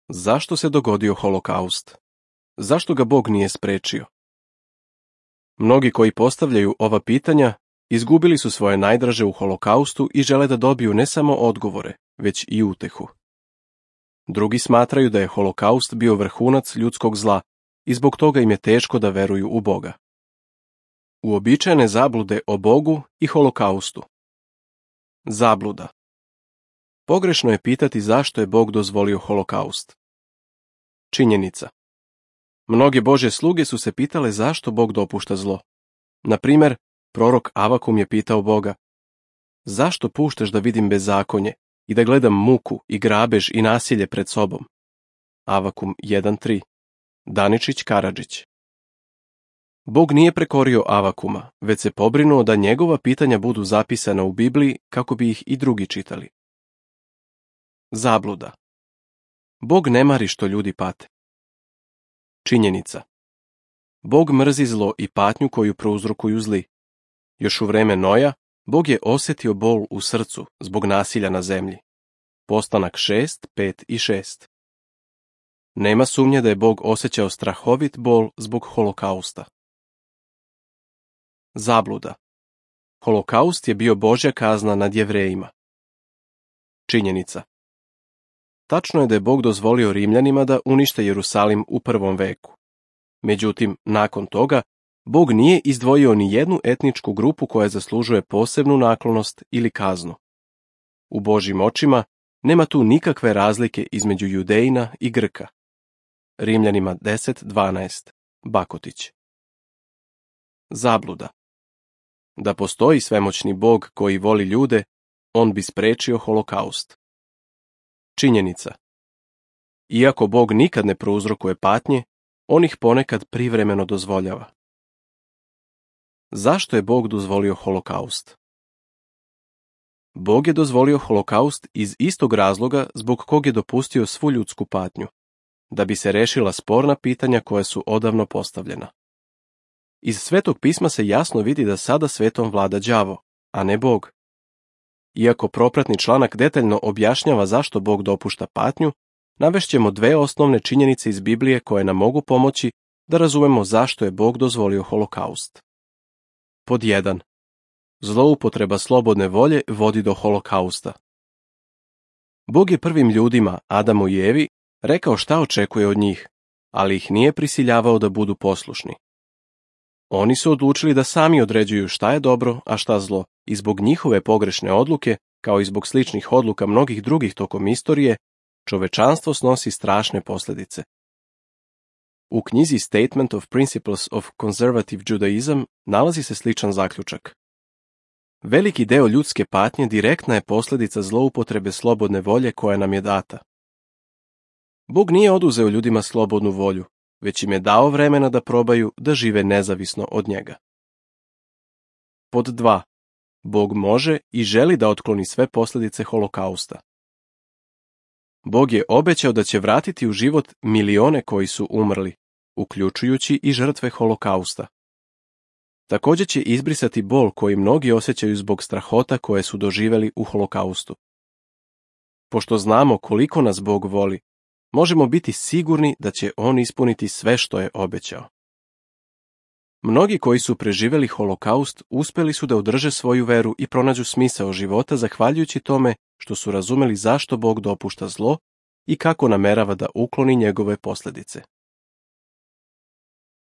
Zašto se dogodio holokaust? Zašto ga Bog nije sprečio? Mnogi koji postavljaju ova pitanja izgubili su svoje najdraže u holokaustu i žele da dobiju ne samo odgovore, već i utehu. Drugi smatraju da je holokaust bio vrhunac ljudskog zla i zbog toga im je teško da veruju u Boga. Uobičajene zablude o Bogu i holokaustu. Zabluda. Pogrešno je pitati zašto je Bog dozvolio holokaust. Činjenica. Mnoge Božje sluge su se pitale zašto Bog dopušta zlo. Na primjer, prorok Avakum je pitao Boga: zašto puštaš da vidim bezakonje i da gledam muku i grabež i nasilje pred sobom? Avakum 1.3. Daničić Karadžić. Bog nije prekorio Avakuma, već se pobrinuo da njegova pitanja budu zapisana u Bibliji kako bi ih i drugi čitali. Zabluda. Bog ne mari što ljudi pate. Činjenica. Bog mrzi zlo i patnju koju prouzrokuju zli. Još u vreme Noja, Bog je osjetio bol u srcu zbog nasilja na zemlji. Postanak 6, 5 i 6. Nema sumnje da je Bog osjećao strahovit bol zbog holokausta. Zabluda. Holokaust je bio Božja kazna nad Jevrejima. Činjenica. Tačno je da je Bog dozvolio Rimljanima da unište Jerusalim u 1. veku. Međutim, nakon toga, Bog nije izdvojio ni jednu etničku grupu koja zaslužuje posebnu naklonost ili kaznu. U Božjim očima nema tu nikakve razlike između Judejina i Grka. Rimljanima 10.12. Bakotić. Zabluda. Da postoji svemoćni Bog koji voli ljude, on bi sprečio holokaust. Činjenica. Iako Bog nikad ne prouzrokuje patnje, on ih ponekad privremeno dozvoljava. Zašto je Bog dozvolio holokaust? Bog je dozvolio holokaust iz istog razloga zbog kog je dopustio svu ljudsku patnju, da bi se rešila sporna pitanja koja su odavno postavljena. Iz Svetog pisma se jasno vidi da sada svetom vlada đavo, a ne Bog. Iako propratni članak detaljno objašnjava zašto Bog dopušta patnju, navešćemo dve osnovne činjenice iz Biblije koje nam mogu pomoći da razumemo zašto je Bog dozvolio holokaust. Pod 1. Zloupotreba slobodne volje vodi do holokausta. Bog je prvim ljudima, Adamu i Evi, rekao šta očekuje od njih, ali ih nije prisiljavao da budu poslušni. Oni su odlučili da sami određuju šta je dobro, a šta zlo, i zbog njihove pogrešne odluke, kao i zbog sličnih odluka mnogih drugih tokom istorije, čovečanstvo snosi strašne posljedice. U knjizi Statement of Principles of Conservative Judaism nalazi se sličan zaključak. Veliki deo ljudske patnje direktna je posljedica zloupotrebe slobodne volje koja nam je data. Bog nije oduzeo ljudima slobodnu volju, već im je dao vremena da probaju da žive nezavisno od njega. Pod 2. Bog može i želi da otkloni sve posljedice holokausta. Bog je obećao da će vratiti u život milione koji su umrli, uključujući i žrtve holokausta. Također će izbrisati bol koji mnogi osjećaju zbog strahota koje su doživjeli u holokaustu. Pošto znamo koliko nas Bog voli, možemo biti sigurni da će on ispuniti sve što je obećao. Mnogi koji su preživjeli holokaust uspjeli su da održe svoju veru i pronađu smisao života zahvaljujući tome što su razumeli zašto Bog dopušta zlo i kako namerava da ukloni njegove posljedice.